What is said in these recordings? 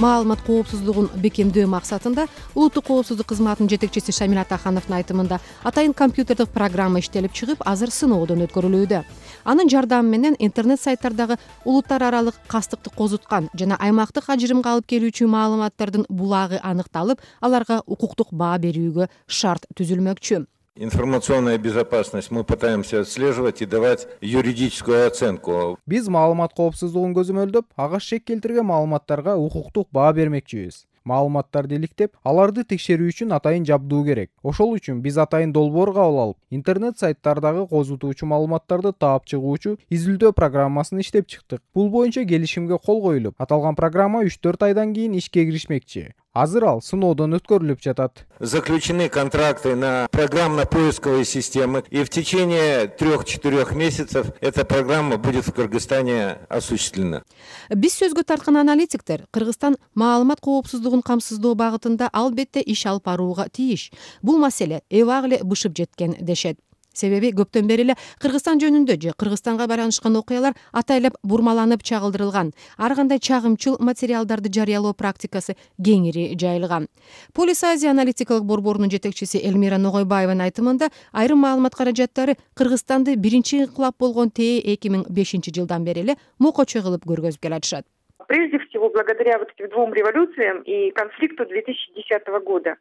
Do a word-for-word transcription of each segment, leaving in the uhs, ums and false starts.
маалымат коопсуздугун бекемдөө максатында улуттук коопсуздук кызматынын жетекчиси Шамил Атахановдун айтымында атайын компьютердик программа иштелип чыгып, азыр сыноодон өткөрүлүүдө. Анын жардамы менен интернет сайттардагы улуттар аралык кастыкты козуткан жана аймактык ажырымга алып келүүчү маалыматтардын булагы аныкталып, аларга укуктук баа берүүгө шарт түзүлмөкчү. Информационная безопасность мы пытаемся отслеживать и давать юридическую оценку. Биз маалымат коопсуздугун көзөмөлдөп, ага шек келтирген маалыматтарга укуктук баа бермекчибиз. Маалыматтарды иликтеп, аларды текшерүү үчүн атайын жабдуу керек. Ошол үчүн биз атайын долбоор кабыл алып, интернет сайттардагы козутуучу маалыматтарды таап чыгуучу изилдөө программасын иштеп чыктык. Бул боюнча келишимге кол коюлуп, аталган программа үч төрт айдан кийин ишке киришмекчи. Азыр ал сыноодон өткөрүлүп жатат. Заключены контракты на программно-поисковые системы, и в течение трех-четырех месяцев эта программа будет в Кыргызстане осуществлена. Биз сөзгө тарткан аналитиктер Кыргызстан маалымат коопсуздугун камсыздоо багытында албетте иш алып барууга тийиш. Бул маселе эбак эле бышып жеткен дешет. Себеби көптөн бери эле Кыргызстан жөнүндө же Кыргызстанга байланышкан окуялар атайлап бурмаланып чагылдырылган. Ар кандай чагымчыл материалдарды жарыялоо практикасы кеңири жайылган. Полис Азия аналитикалык борборунун жетекчиси Элмира Ногойбаеванын айтымында, айрым маалымат каражаттары Кыргызстанды биринчи инкылап болгон Т эки миң бешинчи жылдан бери эле мокочу кылып көргөзүп келатышат. Прежде всего, благодаря вот этим двум революциям и конфликту две тысячи десятого года.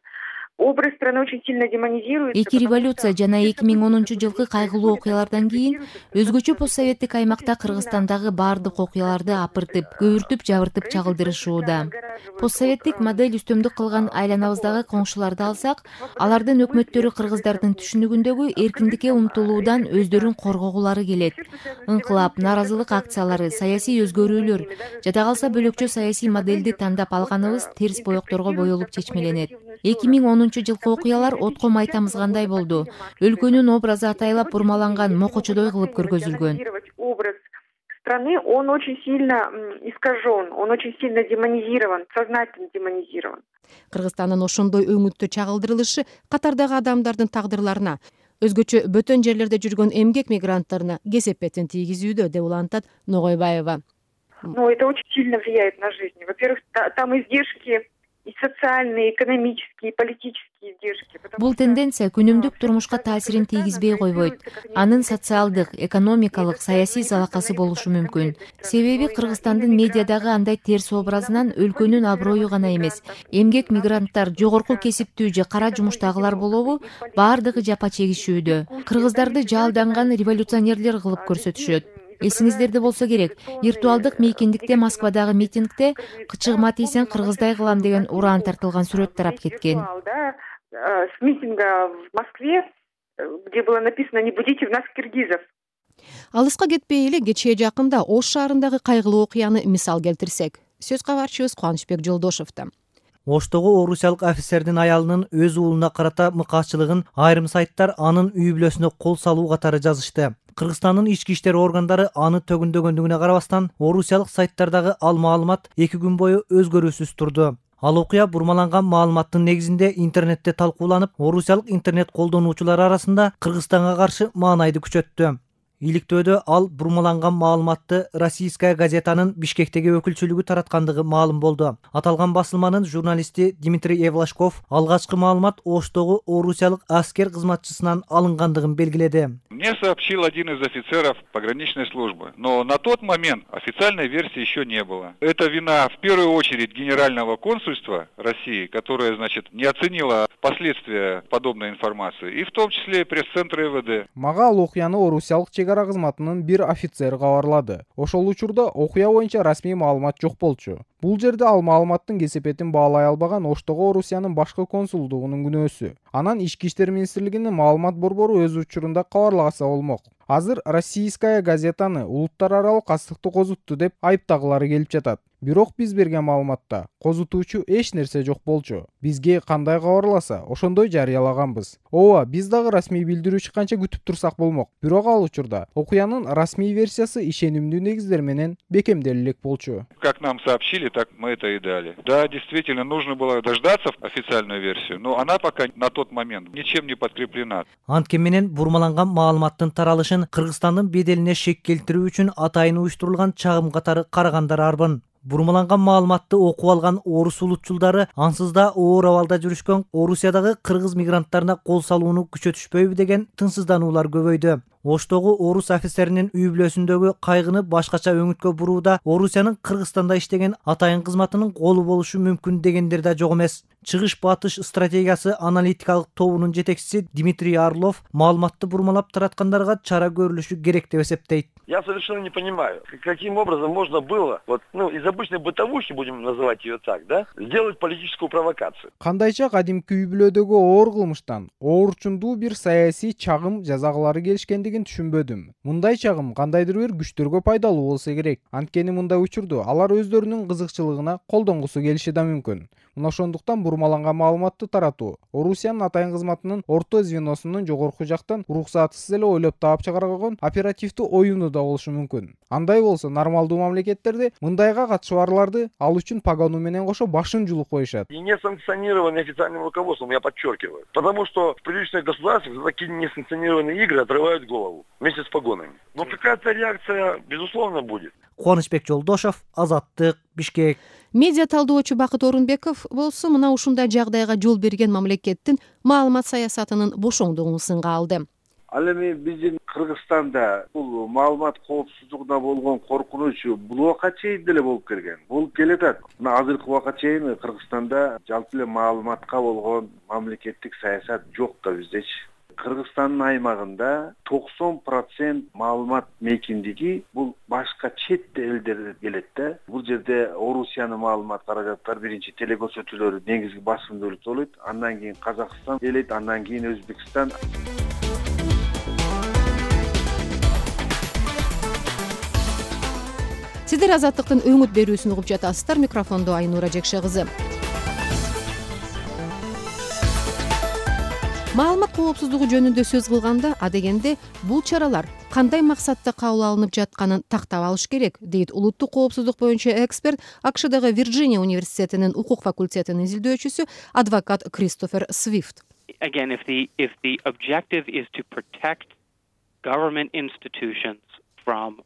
Образ страны очень сильно демонизируется. Эки революция жана эки миң онунчу жылкы кайгылуу окуялардан кийин өзгөчө постсоветтик аймакта Кыргызстандагы баардык окуяларды апыртып, көбүртүп, жабыртып чагылдырышууда. Постсоветтик модель үстөмдүк кылган айланабыздагы коңшуларды алсак, алардын өкмөттөрү кыргыздардын түшүнүгүндөгү эркиндикке умтулуудан өздөрүн коргогулары келет. Инкылап, нааразылык акциялары, саясий өзгөрүүлөр, жада калса бөлөкчө саясий модельди тандап алганыбыз терс боекторго боелуп чечмеленет. эки миң онунчу жылкы окуялар отко май тамызгандай болду. Өлкөнүн образы атайлап бурмаланган, мокочодой кылып көргөзүлгөн. Образ страны, он очень сильно искажен, он очень сильно демонизирован, сознательно демонизирован. Кыргызстандын ошондой өңүттө чагылдырылышы катардагы адамдардын тагдырларына, өзгөчө бөтөн жерлерде жүргөн эмгек мигранттарына кесепетин тийгизүүдө, деп улантат Ногойбаева. Ну, это очень сильно влияет на жизнь. Во-первых, там издержки и социальные, экономические, политические издержки. Бул тенденция күнүмдүк турмушка таасирин тийгизбей койбойт. Анын социалдык, экономикалык, саясий залакасы болушу мүмкүн. Себеби Кыргызстандын медиадагы андай терс образынан өлкөнүн аброю гана эмес, эмгек мигранттар, жогорку кесиптүү же кара жумуштагылар болобу, баардыгы жапа чегишүүдө. Кыргыздарды жалданган революционерлер кылып көрсөтүшөт. Эсиңиздерде болсо керек, виртуалдык мейкиндикте Москвадагы митингде кычыгыма тийсең кыргыздай кылам деген ураан тартылган сүрөт тарап кеткен. С митинга в Москве, где было написано «Не будите в нас киргизов». Алыска кетпей эле кечээ жакында Ош шаарындагы кайгылуу окуяны мисал келтирсек, сөз кабарчыбыз Кубанычбек Жолдошовдо. Оштогу орусиялык офицердин аялынын өз уулуна карата мыкаачылыгын айрым сайттар анын үй бүлөсүнө кол салуу катары жазышты. Кыргызстандын ички иштер органдары аны төгүндөгөндүгүнө карабастан, орусиялык сайттардагы ал маалымат эки күн бою өзгөрүүсүз турду. Ал окуя бурмаланган маалыматтын негизинде интернетте талкууланып, орусиялык интернет колдонуучулар арасында Кыргызстанга каршы маанайды күчөттү. Иликтөөдө ал бурмаланган маалыматты Российская газетанын Бишкектеги өкүлчүлүгү тараткандыгы маалым болду. Аталган басылманын журналисти Дмитрий Евлашков алгачкы маалымат Оштогу орусиялык аскер кызматчысынан алынгандыгын белгиледи. Мне сообщил один из офицеров пограничной службы, но на тот момент официальной версии еще не было. Это вина в первую очередь Генерального консульства России, которое, значит, не оценило последствия подобной информации, и в том числе пресс-центра Э В Д. Мага ал окуяны орусиялык чегара кызматынын бир офицери кабарлады. Ошол учурда окуя боюнча расмий маалымат жок болчу. Бул жерде ал маалыматтын кесепетин баалай албаган Оштогу Орусиянын башкы консулдугунун күнөөсү. Анан Ички иштер министрлигинин маалымат борбору өз учурунда кабарлагаса болмок. Азыр Российская газетаны улуттар аралык кастыкты козутту деп айыптагылары келип жатат. Бирок биз берген маалыматта козутуучу эч нерсе жок болчу. Бизге кандай кабарласа, ошондой жарыялаганбыз. Ооба, биз дагы расмий билдирүү чыкканча күтүп турсак болмок. Бирок ал учурда окуянын расмий версиясы ишенимдүү негиздер менен бекемделе элек болчу. Как нам сообщили, так мы это и дали. Да, действительно, нужно было дождаться официальную версию, но она пока на тот момент ничем не подкреплена. Анткени менен бурмаланган маалыматтын таралышын Кыргызстандын беделине шек келтирүү үчүн атайын уюштурулган чагым катары карагандар арбын. Бурмаланган маалыматты окуп алган орус улутчулдары ансыз да оор абалда жүрүшкөн Орусиядагы кыргыз мигранттарына кол салууну күчөтүшпөйбү деген тынчсыздануулар көбөйдү. Оштогу орус офицеринин үй бүлөсүндөгү кайгыны башкача өңүткө бурууда Орусиянын Кыргызстанда иштеген атайын кызматынын колу болушу мүмкүн дегендер да жок эмес. Чыгыш батыш стратегиясы аналитикалык тобунун жетекчиси Дмитрий Орлов маалыматты бурмалап тараткандарга чара көрүлүшү керек деп эсептейт. Я совершенно не понимаю, каким образом можно было, вот, ну, из обычной бытовухи, будем называть ее так, да, сделать политическую провокацию. Кандайча кадимки үй бүлөдөгү оор кылмыштан оорчундуу бир саясий чагым жазагылары келишкендигин түшүнбөдүм. Мындай чагым кандайдыр бир күчтөргө пайдалуу болсо керек. Анткени мындай учурду алар өздөрүнүн кызыкчылыгына колдонгусу келиши да мүмкүн. Мына ошондуктан бурмаланган маалыматты таратуу Орусиянын атайын кызматынын орто звеносунун жогорку жактан уруксатысыз эле ойлоп таап чыгарылган оперативдүү оюну да болушу мүмкүн. Андай болсо нормалдуу мамлекеттерде мындайга катышууларды ал үчүн погону менен кошо башын жулуп коюшат. И не санкционированные официальным руководством, я подчеркиваю. Потому что в приличных государствах такие несанкционированные игры отрывают голову вместе с погонами. Но какая-то реакция, безусловно, будет. Кубанычбек Жолдошов, Азаттык, Бишкек. Медиа талдоочу Бакыт Орунбеков болсо мына ушундай жагдайга жол берген мамлекеттин маалымат саясатынын бошоңдугун сынга алды. Ал эми биздин Кыргызстанда бул маалымат коопсуздугуна болгон коркунуч бул убакка чейин деле болуп келген. Болуп келатат. Мына азыркы убакка чейин Кыргызстанда жалпы эле маалыматка болгон мамлекеттик саясат жок да биздечи. Кыргызстандын аймагында токсон процент маалымат мейкиндиги бул башка чет элдер келет да. Бул жерде Орусиянын маалымат каражаттары биринчи телекөрсөтүүлөрү негизги басымдуулук болот. Андан кийин Казакстан келет, андан кийин Өзбекстан. Сиздер Азаттыктын өңүт берүүсүн угуп жатасыздар. Микрофондо Айнура Жекше кызы. Маалымат коопсуздугу жөнүндө сөз кылганда адегенде бул чаралар кандай максатта кабыл алынып жатканын тактап алыш керек, дейт улуттук коопсуздук боюнча эксперт АКШдагы Вирджиния университетинин укук факультетинин изилдөөчүсү адвокат Кристофер Свифт. Again, if the if the objective is to protect government institutions from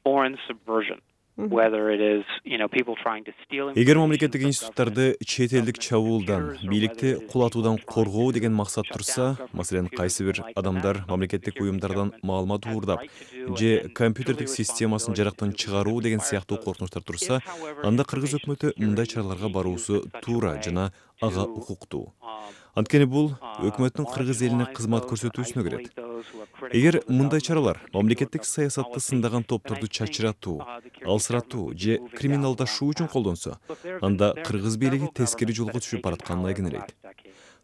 foreign subversion, whether it is, you know, people trying to steal. Эгер мамлекеттик институттарды чет элдик чабуулдан, бийликти кулатуудан коргоо деген максат турса, маселен, кайсы бир адамдар мамлекеттик уюмдардан маалымат уурдап же компьютердик системасын жарактан чыгаруу деген сыяктуу коркунучтар турса, анда кыргыз өкмөтү мындай чараларга баруусу туура жана ага укуктуу. Анткени бул өкмөттүн кыргыз элине кызмат көрсөтүүсүнө кирет. Эгер мындай чаралар мамлекеттик саясатты сындаган топторду чачыратуу, алсыратуу же криминалдашуу үчүн колдонсо, анда кыргыз бийлиги тескери жолго түшүп баратканын айгинелейт.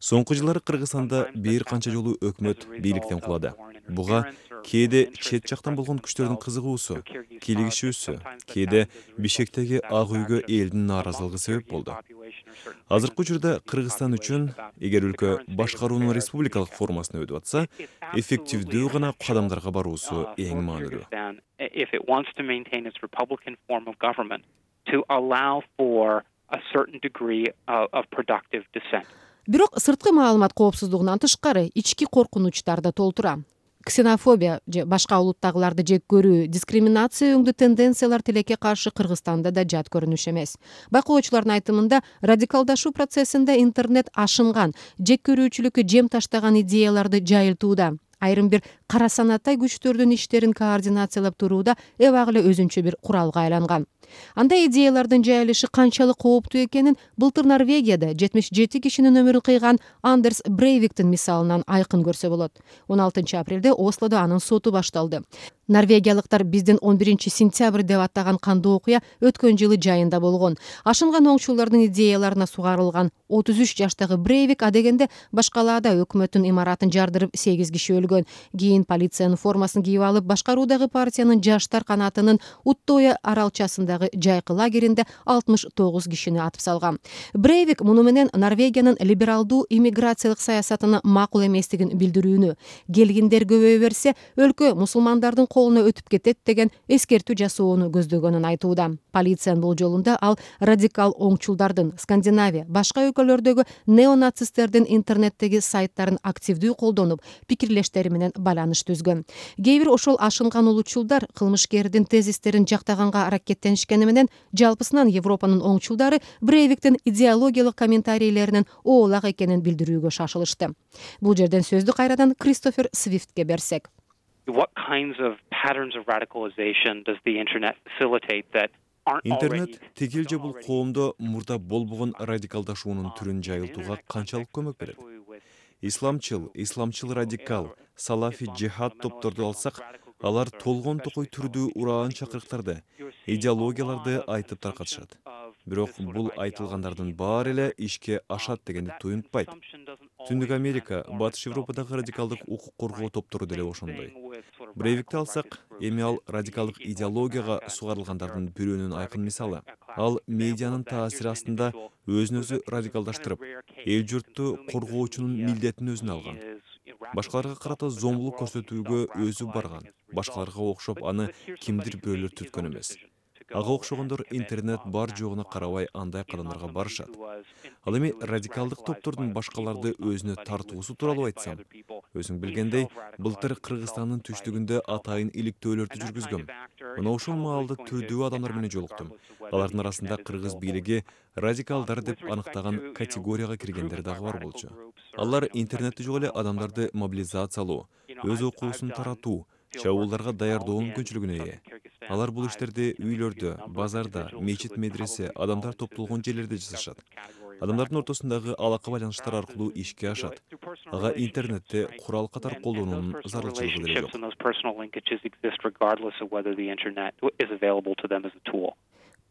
Соңку жылдары Кыргызстанда бир канча жолу өкмөт бийликтен кулады. Буга кээде чет жактан болгон күчтөрдүн кызыгуусу, кийлигишүүсү, кээде Бишкектеги ак үйгө элдин нааразылыгы себеп болду. Азыркы учурда Кыргызстан үчүн, эгер өлкө башкаруунун республикалык формасына өтүп атса, эффективдүү гана кадамдарга баруусу эң маанилүү. Бирок сырткы маалымат коопсуздугунан тышкары ички коркунучтар да толтура. Ксенофобия же башка улуттагыларды жек көрүү, дискриминация өңдүү тенденциялар тилекке каршы Кыргызстанда да жат көрүнүш эмес. Байкоочулардын айтымында, радикалдашуу процессинде интернет ашынган, жек көрүүчүлүккө жем таштаган идеяларды жайылтууда. Айрым бир кара санаттай күчтөрдүн иштерин координациялап турууда эбак эле өзүнчө бир куралга айланган. Андай идеялардын жайылышы канчалык кооптуу экенин былтыр Норвегияда жетимиш жети кишинин өмүрүн кыйган Андерс Брейвиктин мисалынан айкын көрсө болот. он алтынчы апрелде Ослодо анын соту башталды. Норвегиялыктар биздин он биринчи сентябрь деп аттаган кандуу окуя өткөн жылы жайында болгон. Ашынган оңчулардын идеяларына сугарылган отуз үч жаштагы Брейвик адегенде башкалаада өкмөттүн имаратын жардырып сегиз киши өлгөн. Кийин полициянын формасын кийип алып, башкаруудагы партиянын жаштар канатынын Уттоя аралчасындагы жайкы лагеринде алтымыш тогуз кишини атып салган. Брейвик муну менен Норвегиянын либералдуу иммиграциялык саясатына макул эместигин билдирүүнү, келгиндер көбөйө берсе, өлкө мусулмандардын колуна өтүп кетет деген эскертүү жасоону көздөгөнүн айтууда. Полициянын болжолунда ал радикал оңчулдардын Скандинавия, башка өлкөлөрдөгү неонацисттердин интернеттеги сайттарын активдүү колдонуп, пикирлештери менен байланыш байланыш түзгөн. Кээ бир ошол ашынган улутчулдар кылмышкердин тезистерин жактаганга аракеттенишкени менен жалпысынан Европанын оңчулдары Брейвиктин идеологиялык комментарийлеринин оолак экенин билдирүүгө шашылышты. Бул жерден сөздү кайрадан Кристофер Свифтке берсек. What kinds of patterns of radicalization does the internet facilitate that Интернет тегил же бул коомдо мурда болбогон радикалдашуунун түрүн жайылтууга канчалык көмөк берет? Исламчыл, исламчыл радикал, салафи джихад топторду алсак, алар толгон токой түрдүү ураан чакырыктарды, идеологияларды айтып таркатышат. Бирок бул айтылгандардын баары эле ишке ашат дегенди туюнтпайт. Түндүк Америка, Батыш Европадагы радикалдык укук коргоо топтору деле ошондой. Брейвикти алсак, эми ал радикалдык идеологияга сугарылгандардын бирөөнүн айкын мисалы. Ал медианын таасири астында өзүн өзү радикалдаштырып, эл журтту коргоочунун милдетин өзүнө алган. Башкаларга карата зомбулук көрсөтүүгө өзү барган. Башкаларга окшоп аны кимдир бирөөлөр түткөн эмес. Ага окшогондор интернет бар жогуна карабай андай кадамдарга барышат. Ал эми радикалдык топтордун башкаларды өзүнө тартуусу тууралуу айтсам, өзүң билгендей, былтыр Кыргызстандын түштүгүндө атайын иликтөөлөрдү жүргүзгөм. Мына ошол маалда түрдүү адамдар менен жолуктум. Алардын арасында кыргыз бийлиги радикалдар деп аныктаган категорияга киргендер дагы бар болчу. Алар интернетте жок эле адамдарды мобилизациялоо, өз окуусун таратуу, чабуулдарга даярдоо мүмкүнчүлүгүнө ээ. Алар бул иштерди үйлөрдө, базарда, мечит, медресе, адамдар топтолгон жерлерде жасашат. Адамдардын ортосундагы алака байланыштар аркылуу ишке ашат. Ага интернетте курал катар колдонуунун зарылчылыгы деле жок.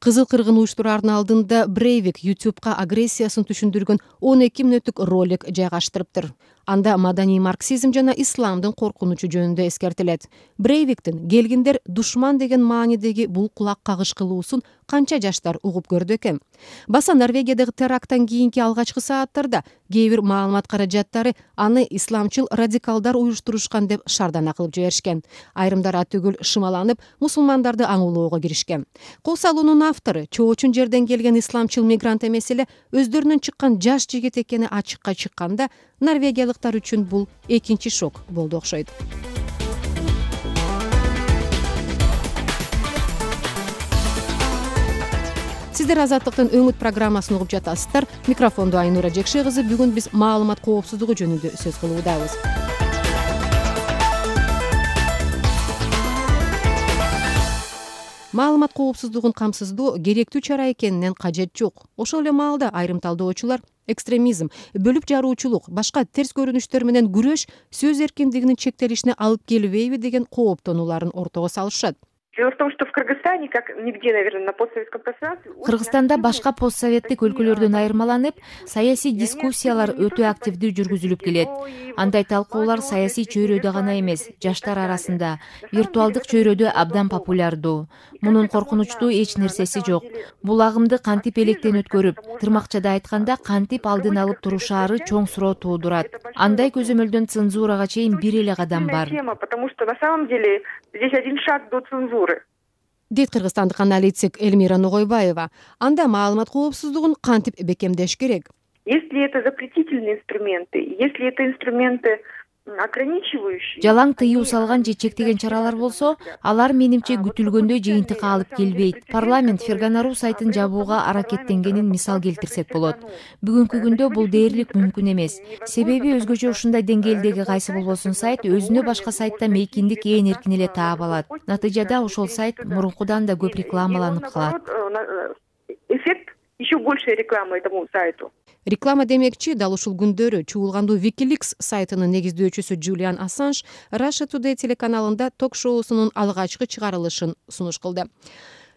Кызыл кыргын уюштураардын алдында Брейвик YouTube'га агрессиясын түшүндүргөн он эки мүнөттүк ролик жайгаштырыптыр. Анда маданий марксизм жана исламдын коркунучу жөнүндө эскертилет. Брейвиктин келгиндер душман деген маанидеги бул кулак кагыш кылуусун канча жаштар угуп көрдү экен. Баса Норвегиядагы теракттан кийинки алгачкы сааттарда кээ бир маалымат каражаттары аны исламчыл радикалдар уюштурушкан деп шардана кылып жиберишкен. Айрымдар атүгүл шымаланып, мусулмандарды аңуулоого киришкен. Кол салуунун автору чоочун жерден келген исламчыл мигрант эмес эле өздөрүнөн чыккан жаш жигит экени ачыкка чыкканда, норвегиялыктар үчүн бул экинчи шок болду окшойт. Сиздер Азаттыктын өңүт программасын угуп жатасыздар. Микрофондо Айнура Жекше кызы. Бүгүн биз маалымат коопсуздугу жөнүндө сөз кылуудабыз. Маалымат коопсуздугун камсыздоо керектүү чара экенинен кажет жок. Ошол эле маалда айрым талдоочулар экстремизм, бөлүп жаруучулук, башка терс көрүнүштөр менен күрөш сөз эркиндигинин чектелишине алып келбейби деген кооптонууларын ортого салышат. Дело в том, что в Кыргызстане, как нигде, наверное, на постсоветском пространстве... Кыргызстанда башка постсоветтик өлкөлөрдөн айырмаланып, саясий дискуссиялар өтө активдүү жүргүзүлүп келет. Андай талкуулар саясий чөйрөдө гана эмес, жаштар арасында, виртуалдык чөйрөдө абдан популярдуу. Мунун коркунучтуу эч нерсеси жок. Бул агымды кантип электен өткөрүп, тырмакчада айтканда кантип алдын алып турушаары чоң суроо туудурат. Андай көзөмөлдөн цензурага чейин бир эле кадам бар. Потому что на самом деле здесь один шаг до цензуры. Дейт кыргызстандык аналитик Эльмира Ногойбаева. Анда маалымат коопсуздугун кантип бекемдеш керек? Если это запретительные инструменты, если это инструменты ограничивающие... Жалаң тыюу салган же чектеген чаралар болсо, алар менимче күтүлгөндөй жыйынтыкка алып келбейт. Парламент Ферганару сайтын жабууга аракеттенгенин мисал келтирсек болот. Бүгүнкү күндө бул дээрлик мүмкүн эмес. Себеби өзгөчө ушундай деңгээлдеги кайсы болбосун сайт өзүнө башка сайтта мейкиндик ээн эркин эле таап алат. Натыйжада ошол сайт мурункудан да көп рекламаланып калат. Эффект еще больше рекламы этому сайту. Реклама демекчи, дал ушул күндөрү чуулгандуу Wikileaks сайтынын негиздөөчүсү Джулиан Ассанж Russia Today телеканалында ток-шоусунун алгачкы чыгарылышын сунуш кылды.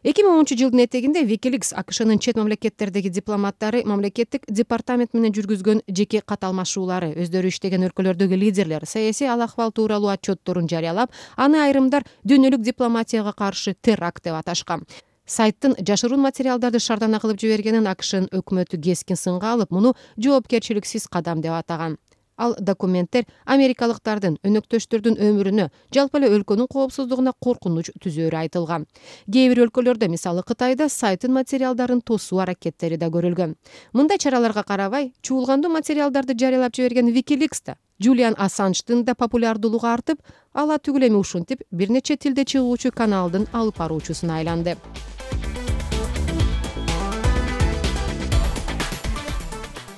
эки миң онунчу жылдын этегинде Wikileaks АКШнын чет мамлекеттердеги дипломаттары мамлекеттик департамент менен жүргүзгөн жеке кат алмашуулары, өздөрү иштеген өлкөлөрдөгү лидерлер саясий ал-акыбал тууралуу отчетторун жарыялап, аны айрымдар дүйнөлүк дипломатияга каршы теракт деп аташкан. Сайттын жашыруун материалдарды шардана кылып жибергенин АКШнын өкмөтү кескин сынга алып, муну жоопкерчиликсиз кадам деп атаган. Ал документтер америкалыктардын, өнөктөштөрдүн өмүрүнө, жалпы эле өлкөнүн коопсуздугуна коркунуч түзөөрү айтылган. Кээ бир өлкөлөрдө, мисалы Кытайда, сайттын материалдарын тосуу аракеттери да көрүлгөн. Мындай чараларга карабай, чуулгандуу материалдарды жарыялап жиберген Wikileaks да Джулиан Ассанждын да популярдуулугу артып, ала түгүл эми ушинтип бир нече тилде чыгуучу каналдын алып баруучусуна айланды.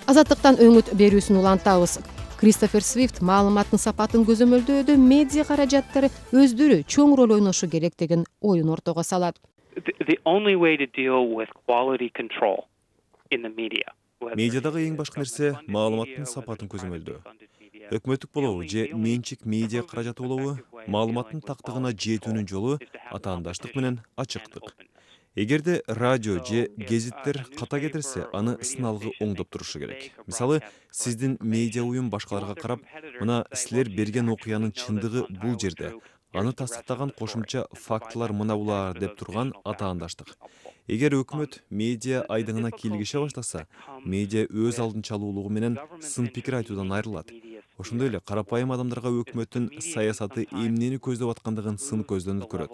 Азаттыктан өңүт берүүсүн улантабыз. Кристофер Свифт маалыматтын сапатын көзөмөлдөөдө медиа каражаттары өздөрү чоң роль ойношу керек деген оюн ортого салат. Медиадагы эң башкы нерсе маалыматтын сапатын көзөмөлдөө. Өкмөттүк болобу же менчик медиа каражаты болобу, маалыматтын тактыгына жетүүнүн жолу атаандаштык менен ачыктык. Эгерде радио же гезиттер ката кетирсе, аны сыналгы оңдоп турушу керек. Мисалы, сиздин медиа уюм башкаларга карап, мына силер берген окуянын чындыгы бул жерде, аны тастыктаган кошумча фактылар мына булар деп турган атаандаштык. Эгер өкмөт медиа айдыңына кийлигише баштаса, медиа өз алдынчалуулугу менен сын пикир айтуудан айрылат. Ошондой эле карапайым адамдарга өкмөттүн саясаты эмнени көздөп аткандыгын сын көздөн өткөрөт.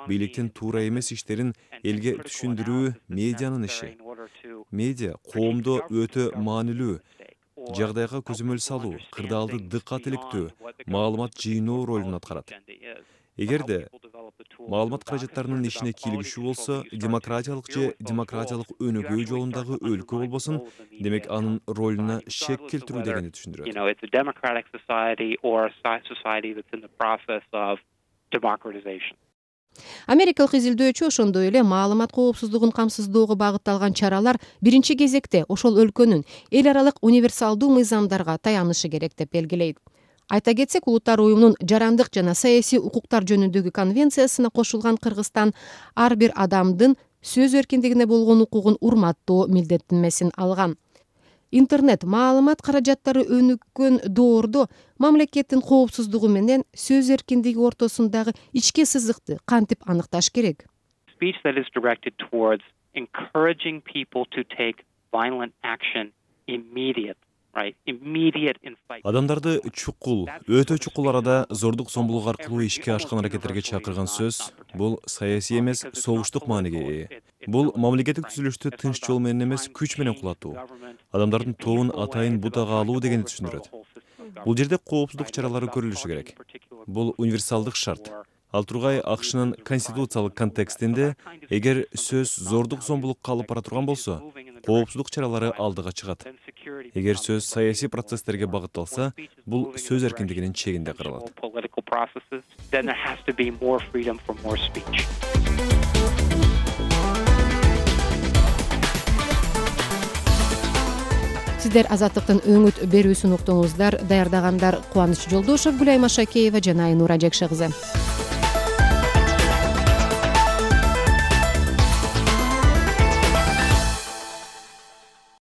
Бийликтин туура эмес иштерин элге түшүндүрүү медианын иши. Медиа коомдо өтө маанилүү, жагдайга көзөмөл салуу, кырдаалды дыккат иликтөө, маалымат жыйноо ролун аткарат. Эгерде маалымат каражаттарынын ишине кийлигишүү болсо, демократиялык же демократиялык өнүгүү жолундагы өлкө болбосун, демек анын ролуна шек келтирүү дегенди түшүндүрөт. Америкалык изилдөөчү ошондой эле маалымат коопсуздугун камсыздоого багытталган чаралар биринчи кезекте ошол өлкөнүн эл аралык универсалдуу мыйзамдарга таянышы керек деп белгилейт. Айта кетсек, Улуттар уюмунун жарандык жана саясий укуктар жөнүндөгү конвенциясына кошулган Кыргызстан ар бир адамдын сөз эркиндигине болгон укугун урматтоо милдеттенмесин алган. Интернет маалымат каражаттары өнүккөн доордо мамлекеттин коопсуздугу менен сөз эркиндиги ортосундагы ички сызыкты кантип аныкташ керек? Speech that is directed towards encouraging people to take violent action immediate. Адамдарды чукул, өтө чукул арада зордук зомбулук аркылуу ишке ашкан аракеттерге чакырган сөз бул саясий эмес, согуштук мааниге ээ. Бул мамлекеттик түзүлүштү тынч жол менен эмес, күч менен кулатуу. Адамдардын тобун атайын бутага алуу дегенди түшүндүрөт. Бул жерде коопсуздук чаралары көрүлүшү керек. Бул универсалдык шарт. Ал тургай АКШнын конституциялык контекстинде, эгер сөз зордук зомбулукка алып бара турган болсо, коопсуздук чаралары алдыга чыгат. Эгер сөз саясий процесстерге багытталса, бул сөз эркиндигинин чегинде каралат. Сиздер Азаттыктын өңүт берүүсүн уктуңуздар. Даярдагандар Кубаныч Жолдошев, Гүлайма Шакеева жана Айнура Жакшы кызы.